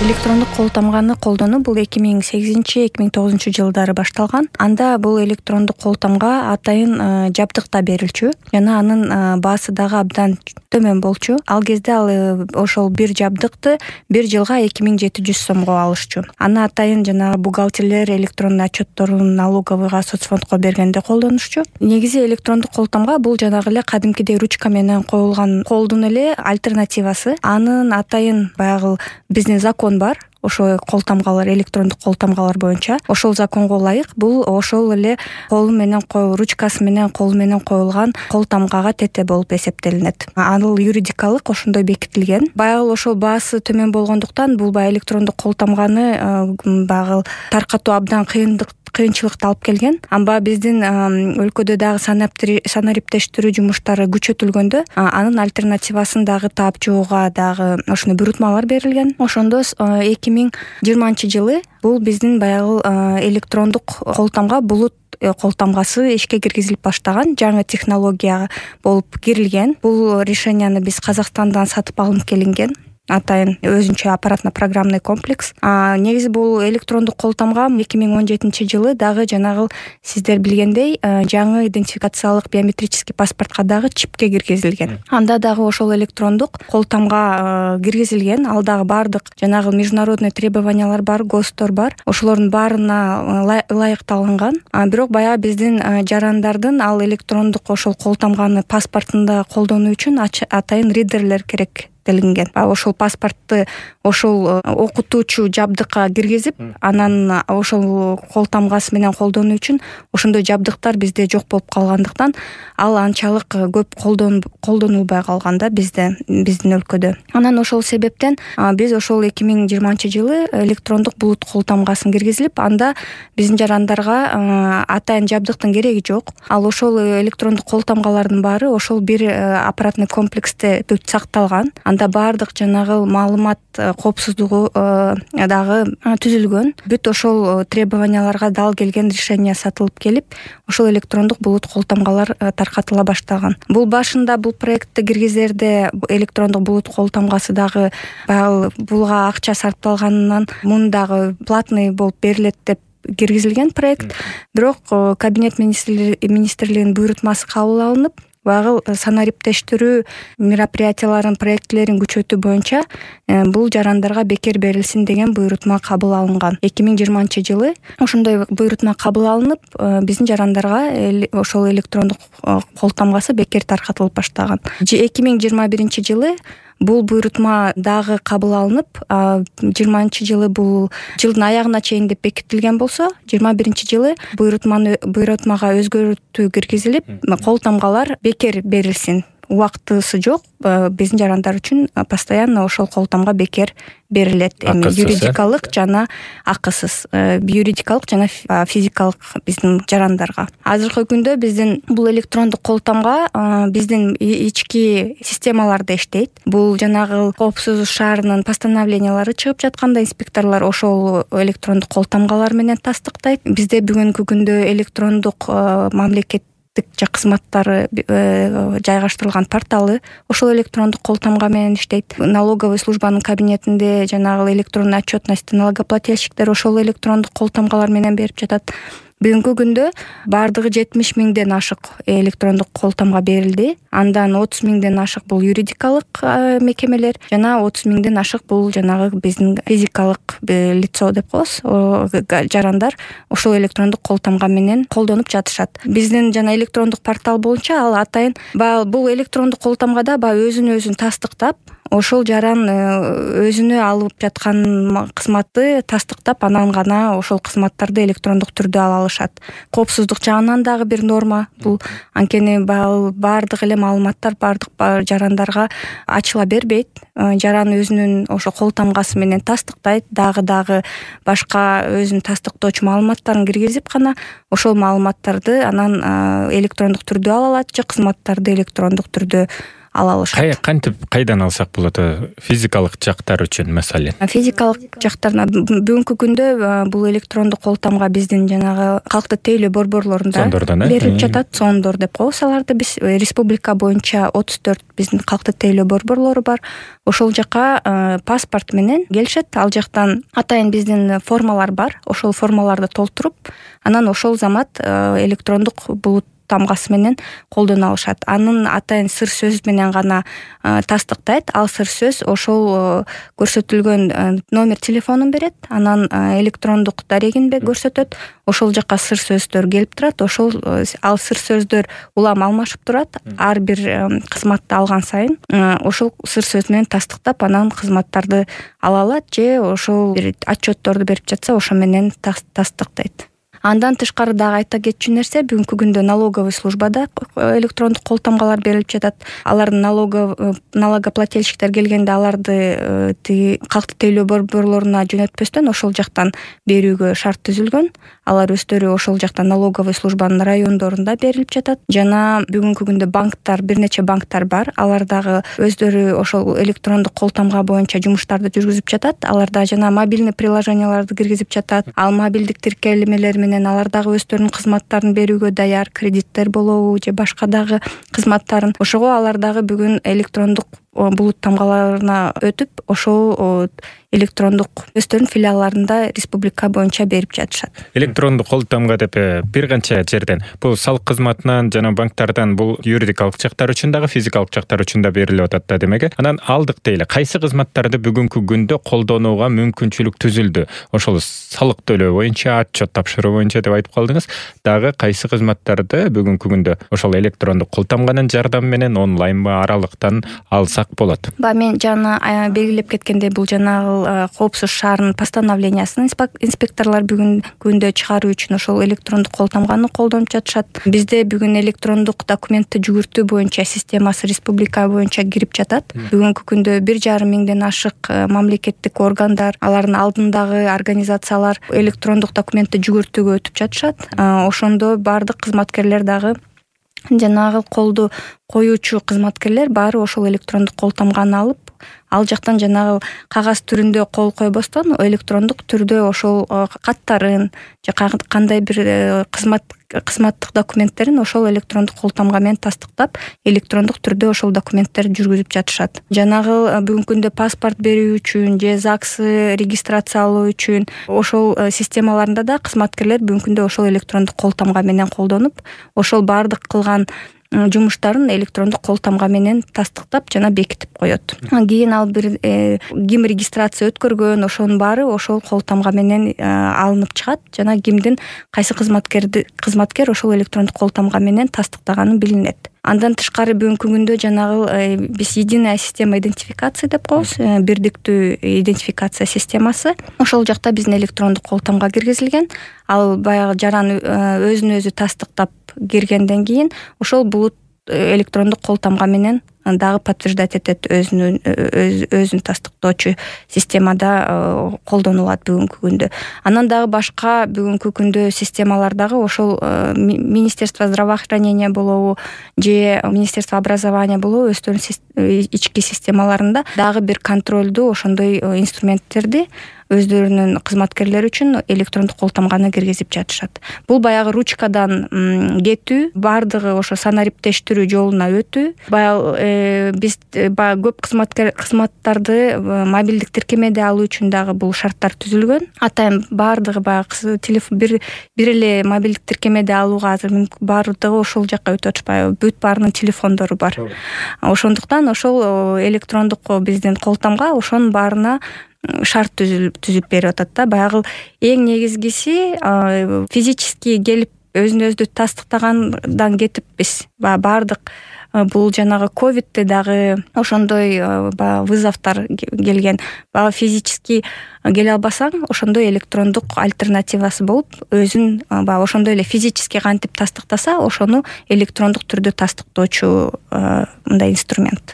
Электрондук кол тамганы колдонуу бул 2008-2009 жылдары башталган. Анда бул электрондук кол тамга атайын жабдыкта берилчү жана анын баасы дагы абдан төмөн болчу. Ал кезде ошол бир жабдыкты бир жылга 2700 сомго алышчу. Аны атайын жанагы бухгалтерлер электрондуу отчетторун налоговыйга, соцфондко бергенде колдонушчу. Негизи электрондук кол тамга бул жанагы эле кадимкидей ручка менен коюлган колдун эле альтернативасы. Анын атайын баягы биздин закон бар. Ошо кол тамгалар, электрондук кол тамгалар боюнча ошол законго ылайык бул ошол эле колу менен ручкасы менен колу менен коюлган кол тамгага тете болуп эсептелинет. Ал юридикалык ошондой бекитилген. Баягы ошол баасы төмөн болгондуктан бул баягы электрондук кол тамганы баягы таркатуу абдан кыйынчылыкты алып келген. Амма биздин өлкөдө дагы санариптештирүү жумуштары күчөтүлгөндө анын альтернативасын дагы таап чыгууга дагы ошондой буйрутмалар берилген. Ошондо 2020 жылы бул биздин баягы электрондук кол тамга булут кол тамгасы ишке киргизилип баштаган, жаңы технология болуп кирилген. Бул решенияны биз Казакстандан сатып алынып келинген. Атайын өзүнчө аппаратно-программный комплекс. Негизи бул электрондук кол тамга 2017 жылы дагы жанагы сиздер билгендей жаңы идентификациялык биометрический паспортко дагы чипке киргизилген. Анда дагы ошол электрондук кол тамга киргизилген. Ал дагы бардык жанагы международный требованиялар бар, ГОСТор бар. Ошолордун баарына ылайыкталган. Бирок баягы биздин жарандардын ал электрондук ошол кол тамганы паспортунда колдонуу үчүн атайын ридерлер керек делинген. Ошол паспортты ошол окутуучу жабдыкка киргизип, анан ошол кол тамгасы менен колдонуу үчүн ошондой жабдыктар бизде жок болуп калгандыктан ал анчалык көп колдонулбай калган да биздин өлкөдө. Анан ошол себептен биз ошол 2020 жылы электрондук булут кол тамгасын киргизилип, анда биздин жарандарга атайын жабдыктын кереги жок. Ал ошол электрондук кол тамгалардын баары ошол бир аппаратный комплексте сакталган. Анда бардык жанагы маалымат коопсуздугу дагы түзүлгөн. Бүт ошол требованияларга дал келген решение сатылып келип, ошол электрондук булут кол тамгалар таркатыла баштаган. Бул башында бул проектти киргизерде электрондук булут кол тамгасы дагы булга акча сарпталганынан муну дагы платный болуп берилет деп киргизилген проект. Бирок кабинет министрлигинин буйрутмасы кабыл алынып, баягы санариптештирүү мероприятияларын, проектилерин күчөтүү боюнча бул жарандарга бекер берилсин деген буйрутма кабыл алынган. 2020 жылы ошондой буйрутма кабыл алынып, биздин жарандарга ошол электрондук кол тамгасы бекер таркатылып баштаган. 2021 жылы бул буйрутма дагы кабыл алынып, 20 жылы бул жылдын аягына чейин деп бекитилген болсо, 21 жылы буйрутмага өзгөртүү киргизилип, кол тамгалар бекер берилсин. Убактысы жок, биздин жарандар үчүн постоянно ошол кол тамга бекер берилет. Эми юридикалык жана акысыз, юридикалык жана физикалык биздин жарандарга. Азыркы күндө биздин бул электрондук кол тамга биздин ички системаларда иштейт. Бул жанагы коопсуздук шаарынын постановлениялары чыгып жатканда инспекторлор ошол электрондук кол тамгалар менен тастыктайт. Бизде бүгүнкү күндө электрондук мамлекет кызматтары жайгаштырылган порталы ошол электрондук кол тамга менен иштейт. Налоговый службанын кабинетинде жанагы электронный отчетность налогоплательщиктер ошол электрондук кол тамгалар менен берип жатат. Бүгүнкү күндө бардыгы 70 миңден ашык электрондук кол тамга берилди. Андан 30 миңден ашык бул юридикалык мекемелер жана 30 миңден ашык бул жанагы биздин физикалык лицо деп коебуз. Жарандар ошол электрондук кол тамга менен колдонуп жатышат. Биздин жана электрондук портал боюнча ал атайын бул электрондук кол тамгада өзүн тастыктап, ошол жаран өзүнө алып жаткан кызматты тастыктап, анан гана ошол кызматтарды электрондук түрдө ала алышат. Коопсуздук жагынан дагы бир норма бул. Анткени бардык эле маалыматтар бардык жарандарга ачыла бербейт. Жаран өзүнүн ошо кол тамгасы менен тастыктайт, дагы башка өзүнүн тастыктоочу маалыматтарын киргизип гана ошол маалыматтарды анан электрондук түрдө ала алат же кызматтарды электрондук түрдө ала алышат. Кантип кайдан алсак болот физикалык жактар үчүн маселен? Физикалык жактарына бүгүнкү күндө бул электрондук кол тамга биздин жанагы калктык тейлөө борборлорунда берилип жатат. Сондор деп коебуз аларды. Биз республика боюнча 34 биздин калктык тейлөө борборлору бар. Ошол жака паспорт менен келишет. Ал жактан атайын биздин формалар бар. Ошол формаларды толтуруп, анан ошол замат электрондук булут тамгасы менен колдоно алышат. Анын атайын сыр сөз менен гана тастыктайт. Ал сыр сөз ошол көрсөтүлгөн номер телефонун берет. Анан электрондук дарегин көрсөтөт. Ошол жака сыр сөздөр келип турат. Ошол ал сыр сөздөр улам алмашып турат. Ар бир кызматты алган сайын ошол сыр сөз менен тастыктап, анан кызматтарды ала алат же ошол бир отчетторду берип жатса, ошо менен тастыктайт. Андан тышкары дагы айта кетчү нерсе, бүгүнкү күндө налоговый службада электрондук кол тамгалар берилип жатат. Алардын налогоплательщиктер келгенде аларды калктык тейлөө борборлоруна жөнөтпөстөн ошол жактан берүүгө шарт түзүлгөн. Алар өздөрү ошол жактан налоговый службанын райондорунда берилип жатат. Жана бүгүнкү күндө банктар, бир нече банктар бар. Алар дагы өздөрү ошол электрондук кол тамга боюнча жумуштарды жүргүзүп жатат. Аларда жана мобильный приложенияларды киргизип жатат. Ал мобилдик тиркелмелер менен алар дагы өздөрүнүн кызматтарын берүүгө даяр, кредиттер болобу же башка дагы кызматтарын. Ошого алар дагы бүгүн электрондук булут тамгаларына өтүп, ошол электрондук өздөрүнүн филиалларында республика боюнча берип жатышат. Электрондук кол тамга деп бир канча жерден, бул салык кызматынан жана банктардан, бул юридикалык жактар үчүн дагы, физикалык жактар үчүн да берилип атат да демек. Анан алдык дейли, кайсы кызматтарды бүгүнкү күндө колдонууга мүмкүнчүлүк түзүлдү? Ошол салык төлөө боюнча, отчет тапшыруу боюнча деп айтып калдыңыз. Дагы кайсы кызматтарды бүгүнкү күндө ошол электрондук кол тамганын жардамы менен онлайнбы, аралыктан алсак болот? Мен жана белгилеп кеткендей, бул жанагы коопсуз шаардын постановлениясын инспекторлор бүгүнкү күндө чыгаруу үчүн ошол электрондук кол тамганы колдонуп жатышат. Бизде бүгүн электрондук документти жүгүртүү боюнча системасы республика боюнча кирип жатат. Бүгүнкү күндө 1,5 миңден ашык мамлекеттик органдар, алардын алдындагы организациялар электрондук документти жүгүртүүгө өтүп жатышат. Ошондо бардык кызматкерлер дагы жанагы колду коюучу кызматкерлер баары ошол электрондук кол тамганы алып, ал жактан жанагы кагаз түрүндө кол койбостон электрондук түрдө ошол каттарын же кандай бир кызматтык документтерин ошол электрондук кол тамга менен тастыктап, электрондук түрдө ошол документтерди жүргүзүп жатышат. Жанагы бүгүнкү күндө паспорт берүү үчүн же ЗАГС регистрациялоо үчүн ошол системаларында да кызматкерлер бүгүнкү күндө ошол электрондук кол тамга менен колдонуп, ошол бардык кылган жумуштарын электрондук кол тамга менен тастыктап жана бекитип коет. Кийин ал бир ким регистрация өткөргөн, ошонун баары ошол кол тамга менен алынып чыгат жана кимдин кайсы кызматкер ошол электрондук кол тамга менен тастыктаганы билинет. Андан тышкары бүгүнкү күндө жанагы биз единая система идентификации деп коебуз, бирдиктүү идентификация системасы. Ошол жакта биздин электрондук кол тамга киргизилген. Ал баягы жаран өзүн өзү тастыктап киргенден кийин ошол булут электрондук кол тамга менен дагы подтверждать этет, өзүн тастыктоочу системада колдонулат бүгүнкү күндө. Анан дагы башка бүгүнкү күндө системалар дагы ошол Министерство здравоохранения болобу же Министерство образования болобу өздөрүнүн ички системаларында дагы бир контролдуу ошондой инструменттерди өздөрүнүн кызматкерлери үчүн электрондук кол тамганы киргизип жатышат. Бул баягы ручкадан кетүү, бардыгы ошо санариптештирүү жолуна өтүү. Баягы биз көп кызматтарды мобилдик тиркемеде алуу үчүн дагы бул шарттар түзүлгөн. Атайын бардыгы баягы телефон бир эле мобилдик тиркемеде алууга азыр бардыгы ошол жакка өтүп атышпайбы? Бүт баарынын телефондору бар. Ошондуктан ошол электрондук биздин кол тамга ошонун баарына шарт түзүп берип атат да. Баягы эң негизгиси физически келип өзүн өзү тастыктагандан кетип биз бардык бул жанагы ковидте дагы ошондой вызовдор келген. Физически келе албасаң, ошондой электрондук альтернативасы болуп, өзүн ошондой эле физически кантип тастыктаса, ошону электрондук түрдө тастыктоочу мындай инструмент.